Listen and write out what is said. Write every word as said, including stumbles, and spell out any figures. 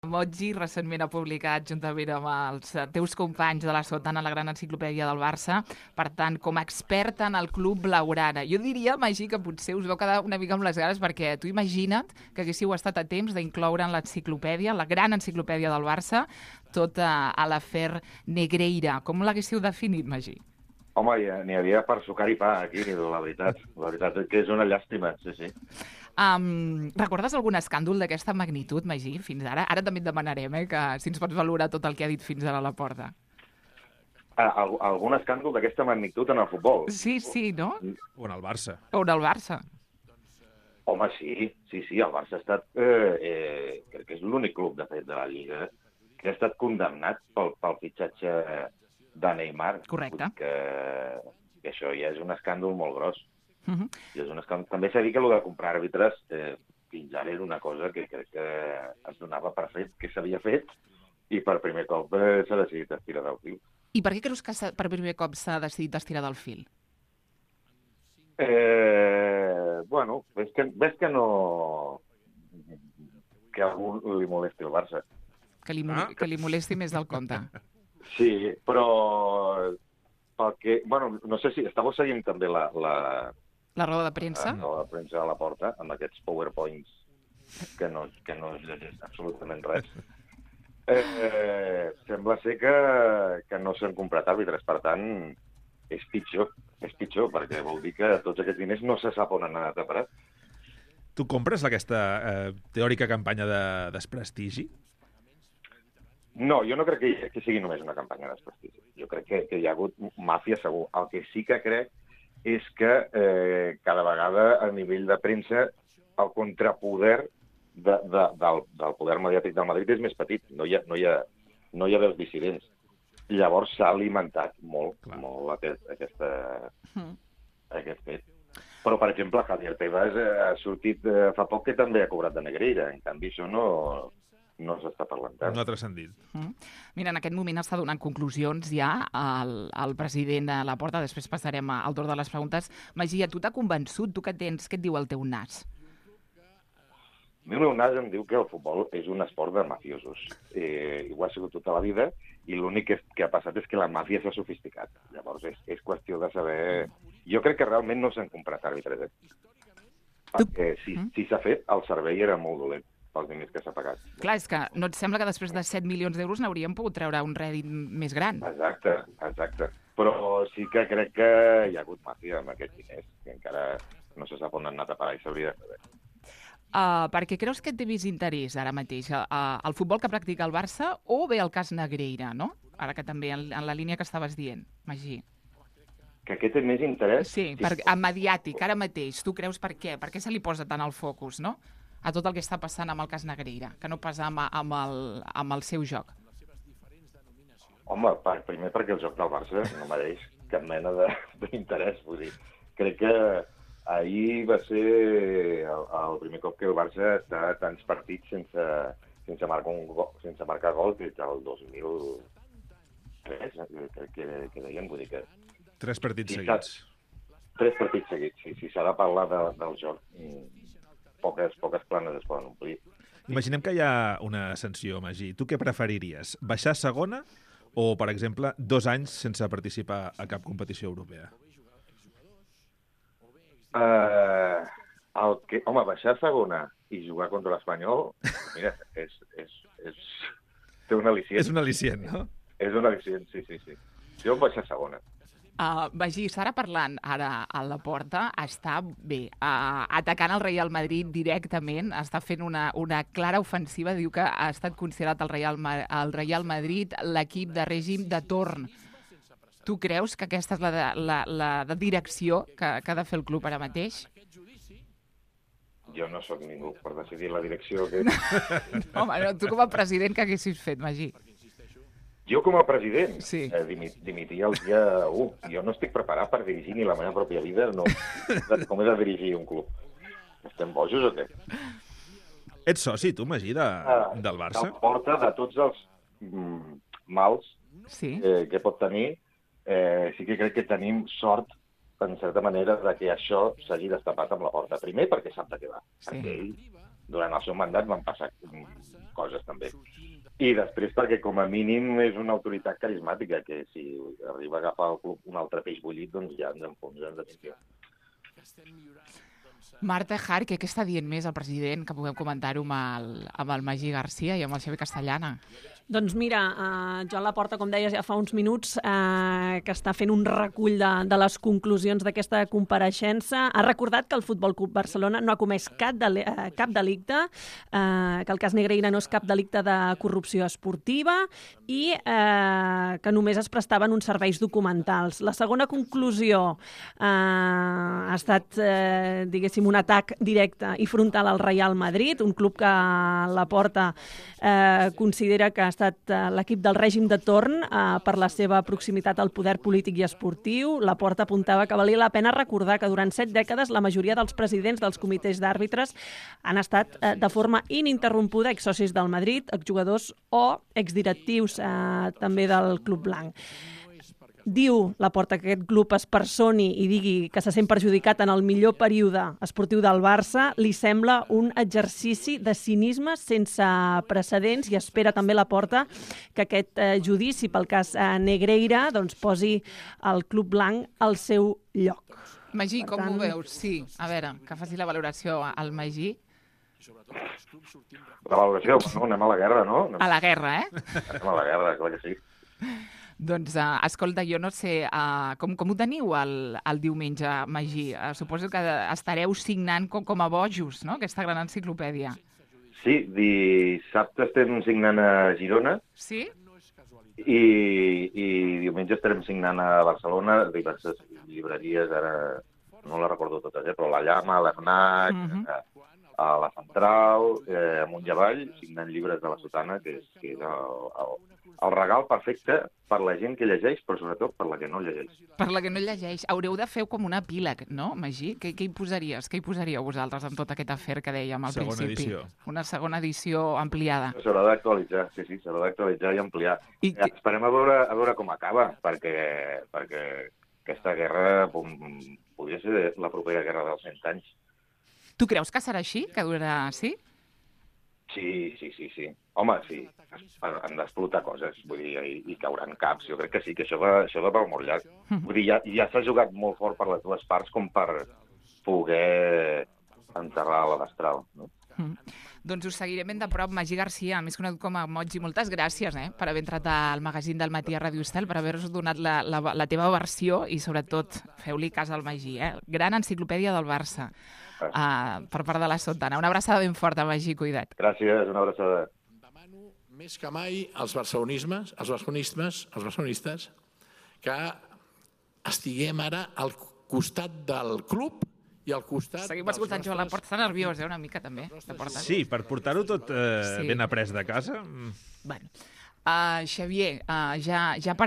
Motgi recentment ha publicat, juntament amb els teus companys de la Sotana, la gran enciclopèdia del Barça, per tant, com a experta en el club blaugrana. Jo diria, Magí, que potser us vau quedar una mica amb les ganes, perquè tu imagina't que haguéssiu estat a temps d'incloure en l'enciclopèdia, la gran enciclopèdia del Barça, tot a, a l'afer Negreira. Com l'haguéssiu definit, Magí? Home, n'hi havia per sucar i pa, aquí, la veritat. La veritat és que és una llàstima, sí, sí. Um, recordes algun escàndol d'aquesta magnitud, Magí, fins ara? Ara també et demanarem eh, que si ens pots valorar tot el que ha dit fins ara a la porta. Al algun escàndol d'aquesta magnitud en el futbol? Sí, sí, no? O en el Barça. O en el Barça. Home, sí, sí, sí, el Barça ha estat, eh, eh, crec que és l'únic club, de fet, de la Lliga, que ha estat condemnat pel, pel fitxatge de Neymar. Correcte. Que, que això ja és un escàndol molt gros. Uh -huh. I és un escàndol. També s'ha dit que el de comprar àrbitres eh, fins ara era una cosa que crec que es donava per fet, que s'havia fet, i per primer cop eh, s'ha decidit estirar del fil. I per què creus que per primer cop s'ha decidit estirar del fil? Eh, bueno, ves que, ves que no... que a algú li molesti el Barça. Que li, ah. que li molesti més del compte. Sí, però... Pel que, bueno, no sé si... Estàveu seguint també la... La, la roda de premsa? La roda de premsa a la porta, amb aquests powerpoints que no, que no es llegeix absolutament res. Eh, sembla ser que, que no s'han comprat àrbitres, per tant, és pitjor, és pitjor, perquè vol dir que tots aquests diners no se sap on han anat a parar. Tu compres aquesta eh, teòrica campanya de desprestigi? No, jo no crec que, que sigui només una campanya de desprestigi. Jo crec que, que hi ha hagut màfia segur. El que sí que crec és que eh, cada vegada a nivell de premsa el contrapoder de, de, del, del poder mediàtic del Madrid és més petit. No hi ha, no hi ha, no hi ha veus dissidents. Llavors s'ha alimentat molt, Clar. molt aquest, aquesta, mm. aquest fet. Però, per exemple, Javier Tebas ha sortit eh, fa poc que també ha cobrat de Negreira. En canvi, això no... no s'està parlant tant. No ha transcendit. Mm. Mira, en aquest moment està donant conclusions ja el, el president a la porta, després passarem al torn de les preguntes. Magí, tu t'ha convençut? Tu què tens? Què et diu el teu nas? El meu nas em diu que el futbol és un esport de mafiosos. Eh, ho ha sigut tota la vida i l'únic que, que ha passat és que la màfia s'ha sofisticat. Llavors és, és qüestió de saber... Jo crec que realment no s'han comprat àrbitres. Perquè si, mm. si s'ha fet, el servei era molt dolent pels diners que s'ha pagat. Clar, és que no et sembla que després de set milions d'euros n'hauríem pogut treure un rèdit més gran? Exacte, exacte. Però sí que crec que hi ha hagut màfia amb aquests diners, que encara no se sap on han anat a parar i s'hauria de saber. Uh, per què creus que té més interès ara mateix? Uh, el futbol que practica el Barça o bé el cas Negreira, no? Ara que també en, en la línia que estaves dient, Magí. Que aquest té més interès? Sí, per, en mediàtic, ara mateix. Tu creus per què? Per què se li posa tant el focus, no? A tot el que està passant amb el cas Negreira, que no passa amb, amb, el, amb el seu joc. Home, per, primer perquè el joc del Barça no mereix cap mena d'interès. Vull dir, crec que ahir va ser el, el primer cop que el Barça està a tants partits sense, sense, marcar, un gol, sense marcar gol des del dos mil tres, crec que, que deien. Vull dir que... Tres partits si seguits. Tres partits seguits, sí. Si s'ha de parlar de, del joc... Poques, poques planes es poden omplir. Imaginem que hi ha una sanció, Magí. Tu què preferiries? Baixar a segona o, per exemple, dos anys sense participar a cap competició europea? Uh, el que, home, baixar a segona i jugar contra l'Espanyol, mira, és, és, és, té un al·licient. És un al·licient, no? És un al·licient, sí, sí, sí. Jo em baixar a segona. Uh, Magí, Sara parlant ara a la porta, està bé, uh, atacant el Real Madrid directament, està fent una, una clara ofensiva, diu que ha estat considerat el Real, el Real Madrid l'equip de règim de torn. Tu creus que aquesta és la, de, la, la de direcció que, que ha de fer el club ara mateix? Jo no sóc ningú per decidir la direcció. Que... No, home, no, tu com a president què haguessis fet, Magí? Jo com a president sí. eh, dimit, dimitia el dia u. Jo no estic preparat per dirigir ni la meva pròpia vida, no. Com he de dirigir un club? Estem bojos o què? Ets soci, tu, Magí, de, ah, del Barça? Al porta de tots els mm, mals sí. eh, que pot tenir, eh, sí que crec que tenim sort, en certa manera, de que això s'hagi destapat amb la porta. Primer, perquè sap de què va. Sí. Perquè ell durant el seu mandat van passar coses també. I després perquè com a mínim és una autoritat carismàtica, que si arriba a agafar el club un altre peix bullit, doncs ja ens enfonsa en definitiva. Marta Jarque, què està dient més el president, que puguem comentar-ho amb, el, amb el Magí Garcia i amb el Xavi Castellana? Doncs mira, eh, Joan Laporta, com deies ja fa uns minuts, eh, que està fent un recull de, de les conclusions d'aquesta compareixença. Ha recordat que el Futbol Club Barcelona no ha comès cap, deli eh, cap delicte, eh, que el cas Negreira no és cap delicte de corrupció esportiva i eh, que només es prestaven uns serveis documentals. La segona conclusió eh, ha estat, eh, diguéssim, un atac directe i frontal al Real Madrid, un club que Laporta eh, considera que ha estat l'equip del règim de torn eh, per la seva proximitat al poder polític i esportiu. Laporta apuntava que valia la pena recordar que durant set dècades la majoria dels presidents dels comitès d'àrbitres han estat eh, de forma ininterrompuda exsocis del Madrid, exjugadors o exdirectius eh, també del Club Blanc. Diu Laporta que aquest club es personi i digui que se sent perjudicat en el millor període esportiu del Barça, li sembla un exercici de cinisme sense precedents i espera també Laporta que aquest eh, judici pel cas eh, Negreira doncs, posi el Club Blanc al seu lloc. Magí, Per com tant... ho veus? Sí, a veure, que faci la valoració al Magí. La valoració, no, anem a la guerra, no? A la guerra, eh? Anem a la guerra, clar que sí. Doncs, uh, escolta, jo no sé, uh, com, com ho teniu el, el diumenge, Magí? Uh, suposo que estareu signant com, com a bojos, no?, aquesta gran enciclopèdia. Sí, dissabte estem signant a Girona. Sí? I, i diumenge estarem signant a Barcelona, diverses llibreries, ara no les recordo totes, eh, però la Llama, l'Ernac, uh-huh. a, a la Central, eh, amunt i avall, signant llibres de la Sotana, que és, que és el, el, el regal perfecte per la gent que llegeix, però sobretot per la que no llegeix. Per la que no llegeix. Haureu de fer com un epíleg, no, Magí? Què, què hi posaries? Què hi posaríeu vosaltres amb tot aquest afer que dèiem al segona principi? Edició. Una segona edició ampliada. S'haurà d'actualitzar, sí, sí, s'haurà d'actualitzar i ampliar. I I esperem a veure, a veure com acaba, perquè, perquè aquesta guerra pom, podria ser la propera guerra dels cent anys. Tu creus que serà així? Que durarà, sí? Sí, sí, sí, sí. Home, sí, han d'explotar coses, vull dir, i, i cauran caps. Jo crec que sí, que això va, això va per molt llarg. Vull dir, ja, ja s'ha jugat molt fort per les dues parts com per poder enterrar la destral, no? Mm. Doncs us seguirem ben de prop. Magí Garcia, més conegut com a Moji, moltes gràcies eh, per haver entrat al magazín del Matí a Ràdio Estel, per haver-nos donat la, la, la teva versió i, sobretot, feu-li cas al Magí. Eh? Gran enciclopèdia del Barça uh, per part de la Sotana. Una abraçada ben forta, Magí, cuida't. Gràcies, una abraçada. Demano més que mai als barcelonismes, als barcelonistes, als barcelonistes, que estiguem ara al costat del club i al costat... Seguim escoltant Joan Laporta, està nerviós, eh, una mica, també. Sí, per portar-ho tot eh, Sí. ben après de casa. Bueno, uh, Xavier, uh, ja, ja per